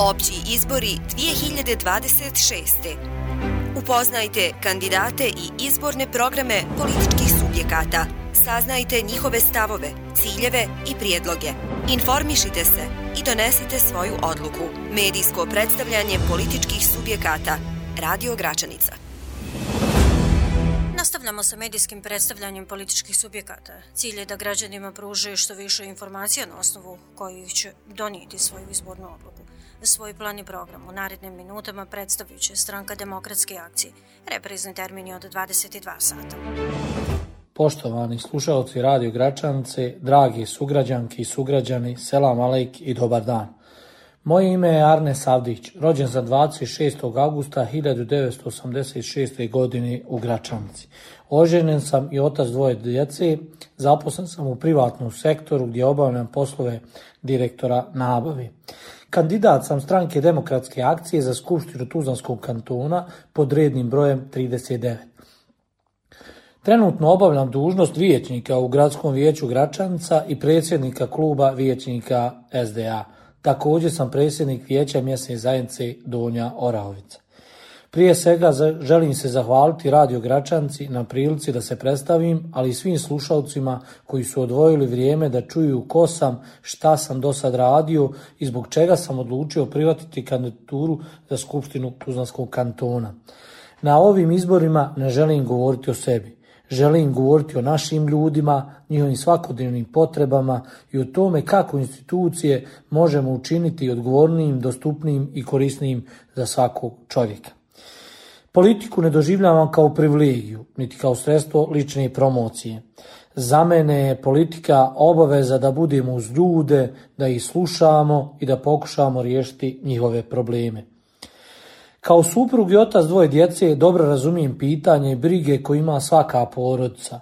Opći izbori 2026. Upoznajte kandidate i izborne programe političkih subjekata. Saznajte njihove stavove, ciljeve i prijedloge. Informišite se i donesite svoju odluku. Medijsko predstavljanje političkih subjekata. Radio Gračanica. Nastavljamo sa medijskim predstavljanjem političkih subjekata. Cilj je da građanima pruže što više informacija na osnovu kojih će donijeti svoju izbornu odluku. Svoj plan i program u narednim minutama predstavit će Stranka demokratske akcije. Reprizni termin je od 22 sata. Poštovani slušalci Radio Gračanice, dragi sugrađanki i sugrađani, selam alejk i dobar dan. Moje ime je Arne Savdić, rođen sam 26. augusta 1986. godine u Gračanici. Oženjen sam i otac dvoje djece, zaposlen sam u privatnom sektoru gdje obavljam poslove direktora nabave. Kandidat sam Stranke demokratske akcije za Skupštinu Tuzlanskog kantona pod rednim brojem 39. Trenutno obavljam dužnost vijećnika u Gradskom vijeću Gračanica i predsjednika kluba vijećnika SDA. Također sam predsjednik vijeća mjesne zajednice Donja Orahovica. Prije svega želim se zahvaliti Radio Gračanci na prilici da se predstavim, ali i svim slušalcima koji su odvojili vrijeme da čuju ko sam, šta sam do sad radio i zbog čega sam odlučio prihvatiti kandidaturu za Skupštinu Tuzlanskog kantona. Na ovim izborima ne želim govoriti o sebi. Želim govoriti o našim ljudima, njihovim svakodnevnim potrebama i o tome kako institucije možemo učiniti odgovornijim, dostupnijim i korisnijim za svakog čovjeka. Politiku ne doživljavam kao privilegiju, niti kao sredstvo lične promocije. Za mene je politika obaveza da budemo uz ljude, da ih slušamo i da pokušamo riješiti njihove probleme. Kao suprug i otac dvoje djece dobro razumijem pitanje i brige koje ima svaka porodica.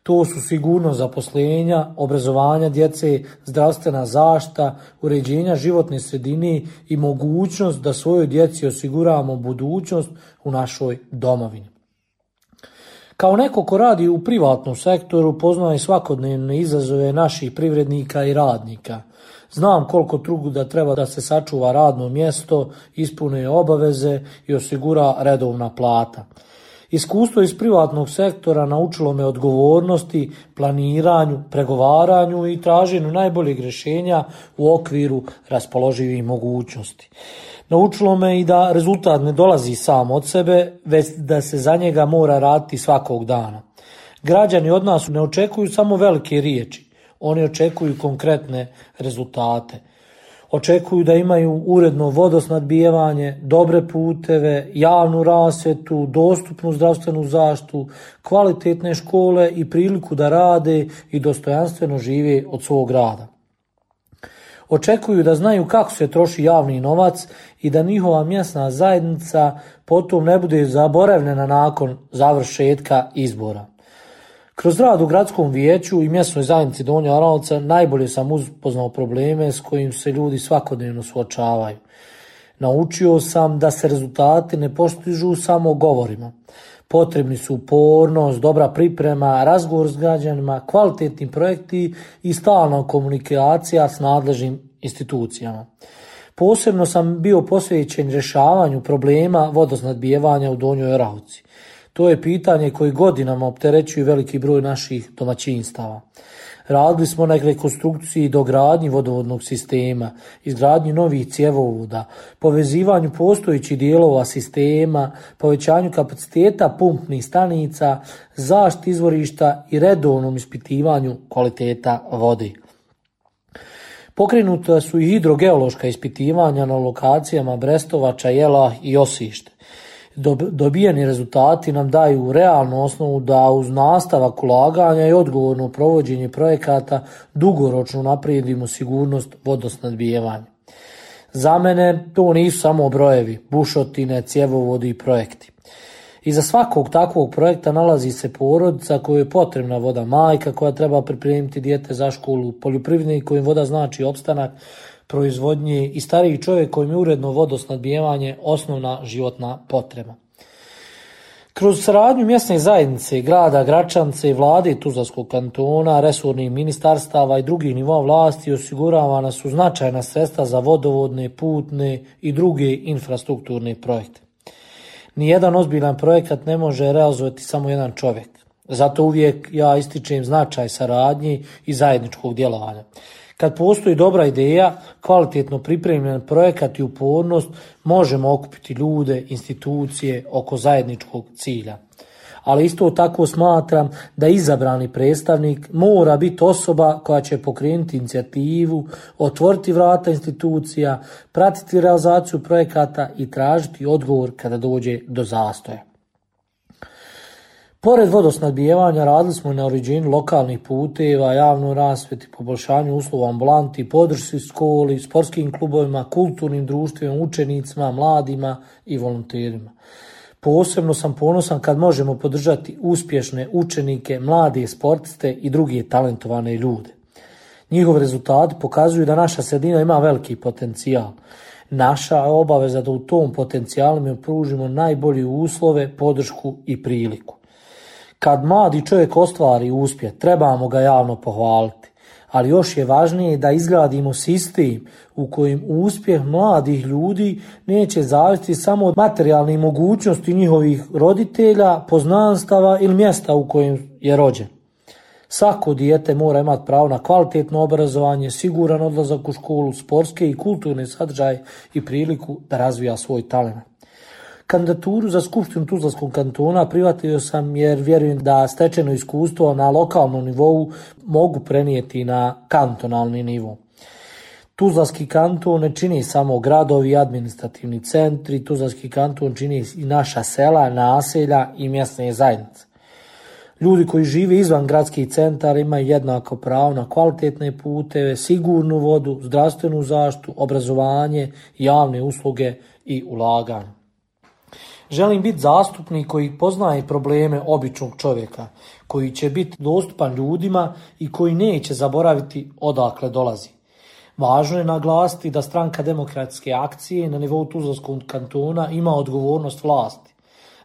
To su sigurnost zaposlenja, obrazovanja djece, zdravstvena zaštita, uređenja životne sredine i mogućnost da svojoj djeci osiguramo budućnost u našoj domovini. Kao neko ko radi u privatnom sektoru, poznaje svakodnevne izazove naših privrednika i radnika. Znam koliko truda treba da se sačuva radno mjesto, ispune obaveze i osigura redovna plata. Iskustvo iz privatnog sektora naučilo me odgovornosti, planiranju, pregovaranju i traženju najboljeg rješenja u okviru raspoloživih mogućnosti. Naučilo me i da rezultat ne dolazi sam od sebe, već da se za njega mora raditi svakog dana. Građani od nas ne očekuju samo velike riječi, oni očekuju konkretne rezultate. Očekuju da imaju uredno vodosnadbijevanje, dobre puteve, javnu rasvjetu, dostupnu zdravstvenu zaštitu, kvalitetne škole i priliku da rade i dostojanstveno žive od svog rada. Očekuju da znaju kako se troši javni novac i da njihova mjesna zajednica potom ne bude zaboravljena nakon završetka izbora. Kroz rad u Gradskom vijeću i mjesnoj zajednici Donja Orahovica najbolje sam upoznao probleme s kojim se ljudi svakodnevno suočavaju. Naučio sam da se rezultati ne postižu samo govorima. Potrebni su upornost, dobra priprema, razgovor s građanima, kvalitetni projekti i stalna komunikacija s nadležnim institucijama. Posebno sam bio posvećen rješavanju problema vodosnadbijevanja u Donjoj Orahovici. To je pitanje koje godinama opterećuje veliki broj naših domaćinstava. Radili smo na rekonstrukciji i dogradnji vodovodnog sistema, izgradnji novih cjevovoda, povezivanju postojećih dijelova sistema, povećanju kapaciteta pumpnih stanica, zaštiti izvorišta i redovnom ispitivanju kvaliteta vode. Pokrenuta su i hidrogeološka ispitivanja na lokacijama Brestovača, Jelah i Osište. Dobijeni rezultati nam daju realnu osnovu da uz nastavak ulaganja i odgovorno provođenje projekata dugoročno unaprijedimo sigurnost vodosnadbijevanja. Za mene to nisu samo brojevi, bušotine, cjevovodi i projekti. Iza svakog takvog projekta nalazi se porodica kojoj je potrebna voda, majka koja treba pripremiti dijete za školu, poljoprivrednik kojim voda znači opstanak proizvodnje i stariji čovjek kojim je uredno vodosnadbijevanje osnovna životna potreba. Kroz saradnju mjesne zajednice, grada Gračance, vlade Tuzlanskog kantona, resornih ministarstava i drugih nivoa vlasti osiguravana su značajna sredstva za vodovodne, putne i druge infrastrukturne projekte. Nijedan ozbiljan projekat ne može realizovati samo jedan čovjek. Zato uvijek ja ističem značaj saradnje i zajedničkog djelovanja. Kad postoji dobra ideja, kvalitetno pripremljen projekat i upornost, možemo okupiti ljude, institucije oko zajedničkog cilja. Ali isto tako smatram da izabrani predstavnik mora biti osoba koja će pokrenuti inicijativu, otvoriti vrata institucija, pratiti realizaciju projekata i tražiti odgovor kada dođe do zastoja. Pored vodosnabdijevanja radili smo na uređenju lokalnih puteva, javnoj rasvjeti, poboljšanju uslova ambulanti, podršci školi, sportskim klubovima, kulturnim društvima, učenicima, mladima i volonterima. Posebno sam ponosan kad možemo podržati uspješne učenike, mlade sportiste i druge talentovane ljude. Njihovi rezultati pokazuju da naša sredina ima veliki potencijal. Naša je obaveza da u tom potencijalu mi pružimo najbolje uslove, podršku i priliku. Kad mladi čovjek ostvari uspjeh, trebamo ga javno pohvaliti, ali još je važnije da izgradimo sistem u kojem uspjeh mladih ljudi neće zavisiti samo od materijalnih mogućnosti njihovih roditelja, poznanstava ili mjesta u kojem je rođen. Svako dijete mora imati pravo na kvalitetno obrazovanje, siguran odlazak u školu, sportske i kulturne sadržaje i priliku da razvija svoj talent. Kandidaturu za Skupštinu Tuzlanskog kantona prihvatio sam jer vjerujem da stečeno iskustvo na lokalnom nivou mogu prenijeti na kantonalni nivo. Tuzlanski kanton ne čini samo gradovi i administrativni centri, Tuzlanski kanton čini i naša sela, naselja i mjesne zajednice. Ljudi koji žive izvan gradskih centara imaju jednako pravo na kvalitetne puteve, sigurnu vodu, zdravstvenu zaštitu, obrazovanje, javne usluge i ulaganje. Želim biti zastupnik koji poznaje probleme običnog čovjeka, koji će biti dostupan ljudima i koji neće zaboraviti odakle dolazi. Važno je naglasiti da Stranka demokratske akcije na nivou Tuzlanskog kantona ima odgovornost vlasti.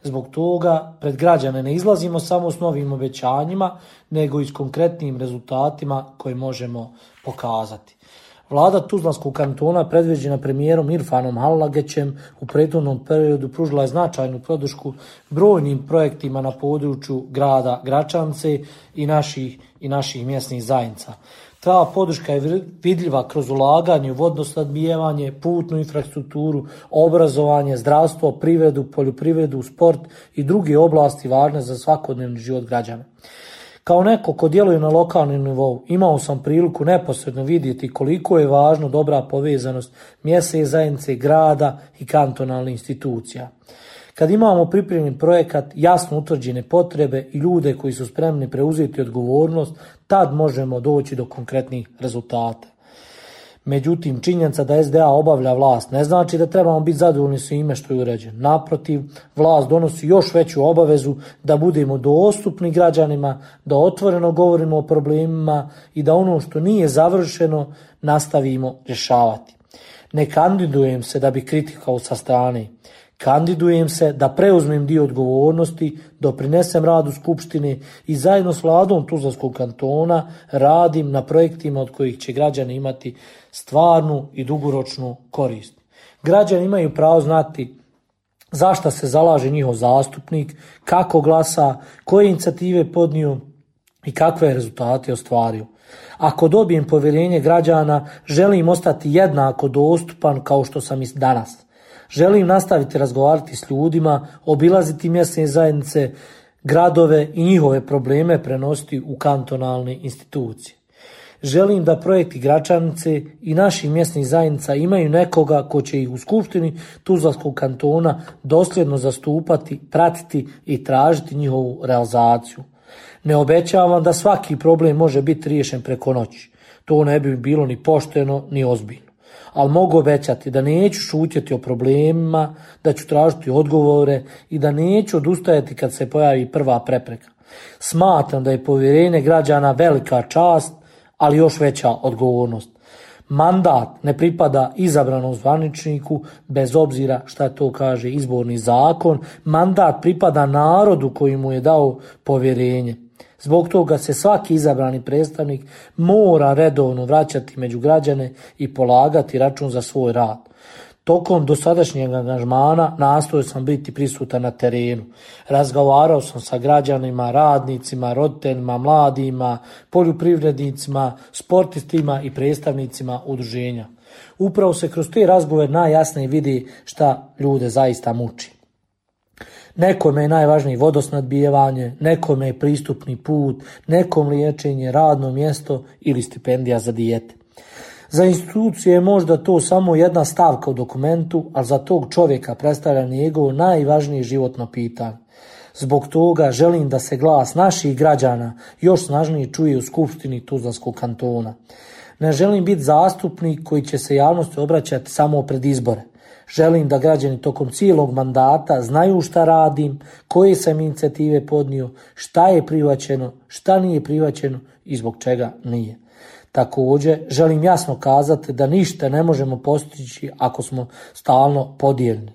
Zbog toga pred građane ne izlazimo samo s novim obećanjima, nego i s konkretnim rezultatima koje možemo pokazati. Vlada Tuzlanskog kantona predvođena premijerom Irfanom Halagećem u prethodnom periodu pružila je značajnu podršku brojnim projektima na području grada Gračance i naših mjesnih zajednica. Ta podrška je vidljiva kroz ulaganje u vodosnabdijevanje, putnu infrastrukturu, obrazovanje, zdravstvo, privredu, poljoprivredu, sport i druge oblasti važne za svakodnevni život građana. Kao neko ko djeluje na lokalnom nivou, imao sam priliku neposredno vidjeti koliko je važno dobra povezanost mjesne zajednice, grada i kantonalnih institucija. Kad imamo pripremljen projekat, jasno utvrđene potrebe i ljude koji su spremni preuzeti odgovornost, tad možemo doći do konkretnih rezultata. Međutim, činjenica da SDA obavlja vlast ne znači da trebamo biti zadovoljni svime što je uređeno. Naprotiv, vlast donosi još veću obavezu da budemo dostupni građanima, da otvoreno govorimo o problemima i da ono što nije završeno nastavimo rješavati. Ne kandidujem se da bi kritikao sa strane. Kandidujem se da preuzmem dio odgovornosti, doprinesem radu Skupštine i zajedno s vladom Tuzlanskog kantona radim na projektima od kojih će građani imati stvarnu i dugoročnu korist. Građani imaju pravo znati zašto se zalaže njihov zastupnik, kako glasa, koje inicijative podnio i kakve rezultate ostvario. Ako dobijem povjerenje građana, želim ostati jednako dostupan kao što sam i danas. Želim nastaviti razgovarati s ljudima, obilaziti mjesne zajednice, gradove i njihove probleme prenositi u kantonalne institucije. Želim da projekti Gračanice i naših mjesnih zajednica imaju nekoga ko će ih u Skupštini Tuzlanskog kantona dosljedno zastupati, pratiti i tražiti njihovu realizaciju. Ne obećavam da svaki problem može biti riješen preko noći. To ne bi bilo ni pošteno ni ozbiljno. Ali mogu obećati da neću šutjeti o problemima, da ću tražiti odgovore i da neću odustajati kad se pojavi prva prepreka. Smatram da je povjerenje građana velika čast, ali još veća odgovornost. Mandat ne pripada izabranom zvaničniku, bez obzira šta to kaže izborni zakon. Mandat pripada narodu koji mu je dao povjerenje. Zbog toga se svaki izabrani predstavnik mora redovno vraćati među građane i polagati račun za svoj rad. Tokom dosadašnjeg angažmana nastojao sam biti prisutan na terenu. Razgovarao sam sa građanima, radnicima, roditeljima, mladima, poljoprivrednicima, sportistima i predstavnicima udruženja. Upravo se kroz te razgovore najjasnije vidi šta ljude zaista muči. Nekome je najvažnije vodosnabdijevanje, nekome je pristupni put, nekom liječenje, radno mjesto ili stipendija za dijete. Za institucije je možda to samo jedna stavka u dokumentu, ali za tog čovjeka predstavlja njegovo najvažnije životno pitanje. Zbog toga želim da se glas naših građana još snažnije čuje u Skupštini Tuzlanskog kantona. Ne želim biti zastupnik koji će se javnosti obraćati samo pred izbore. Želim da građani tokom cijelog mandata znaju šta radim, koje sam inicijative podnio, šta je prihvaćeno, šta nije prihvaćeno i zbog čega nije. Također, želim jasno kazati da ništa ne možemo postići ako smo stalno podijeljeni.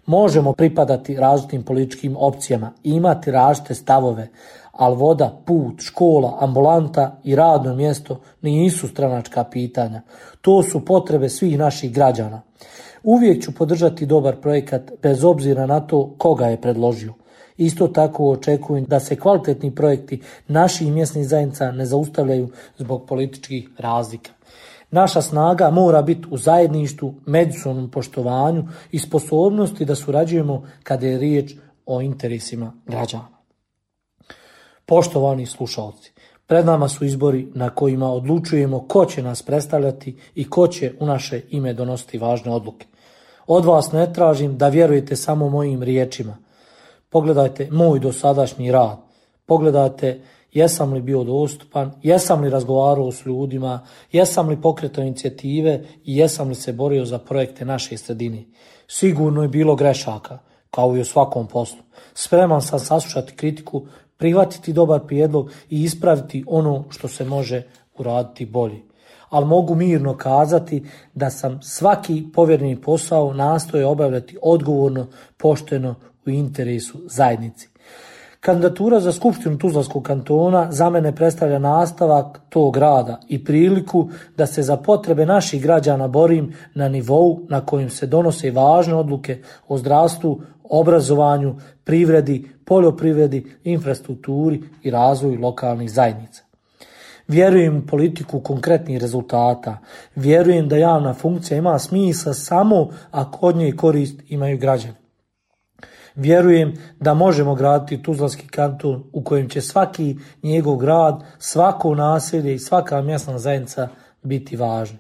Možemo pripadati različitim političkim opcijama i imati različite stavove, ali voda, put, škola, ambulanta i radno mjesto nisu stranačka pitanja. To su potrebe svih naših građana. Uvijek ću podržati dobar projekat bez obzira na to koga je predložio. Isto tako očekujem da se kvalitetni projekti naših mjesnih zajednica ne zaustavljaju zbog političkih razlika. Naša snaga mora biti u zajedništvu, međusobnom poštovanju i sposobnosti da surađujemo kada je riječ o interesima građana. Poštovani slušalci, pred nama su izbori na kojima odlučujemo ko će nas predstavljati i ko će u naše ime donositi važne odluke. Od vas ne tražim da vjerujete samo mojim riječima. Pogledajte moj dosadašnji rad. Pogledajte jesam li bio dostupan, jesam li razgovarao s ljudima, jesam li pokretao inicijative i jesam li se borio za projekte naše sredine. Sigurno je bilo grešaka, kao i u svakom poslu. Spreman sam saslušati kritiku, prihvatiti dobar prijedlog i ispraviti ono što se može uraditi bolje. Ali mogu mirno kazati da sam svaki povjereni posao nastojao obavljati odgovorno, pošteno u interesu zajednici. Kandidatura za Skupštinu Tuzlanskog kantona za mene predstavlja nastavak tog rada i priliku da se za potrebe naših građana borim na nivou na kojem se donose važne odluke o zdravstvu, obrazovanju, privredi, poljoprivredi, infrastrukturi i razvoju lokalnih zajednica. Vjerujem u politiku konkretnih rezultata. Vjerujem da javna funkcija ima smisla samo ako od nje korist imaju građani. Vjerujem da možemo graditi Tuzlanski kanton u kojem će svaki njegov grad, svako naselje i svaka mjesna zajednica biti važni.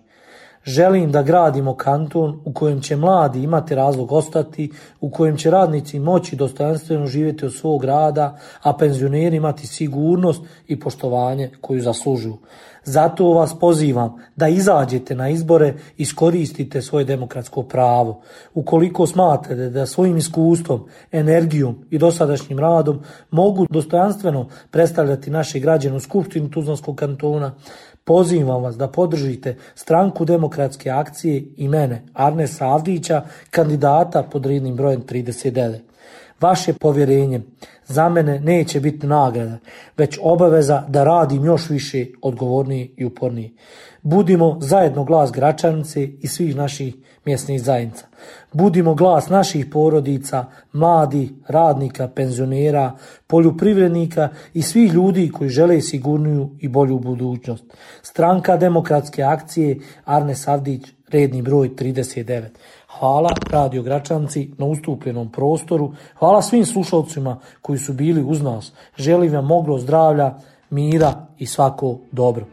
Želim da gradimo kanton u kojem će mladi imati razlog ostati, u kojem će radnici moći dostojanstveno živjeti od svog rada, a penzioneri imati sigurnost i poštovanje koju zaslužuju. Zato vas pozivam da izađete na izbore i iskoristite svoje demokratsko pravo. Ukoliko smatrate da svojim iskustvom, energijom i dosadašnjim radom mogu dostojanstveno predstavljati naše građane u Skupštini Tuzlanskog kantona, pozivam vas da podržite Stranku demokratske akcije i mene, Arnesa Avdića, kandidata pod rednim brojem 39. Vaše povjerenje za mene neće biti nagrada, već obaveza da radim još više, odgovornije i upornije. Budimo zajedno glas Gračanice i svih naših mjesnih zajednica. Budimo glas naših porodica, mladih, radnika, penzionera, poljoprivrednika i svih ljudi koji žele sigurniju i bolju budućnost. Stranka demokratske akcije, Arnes Avdić, redni broj 39. Hvala Radio Gračanci na ustupljenom prostoru. Hvala svim slušalcima koji su bili uz nas. Želim vam mnogo zdravlja, mira i svako dobro.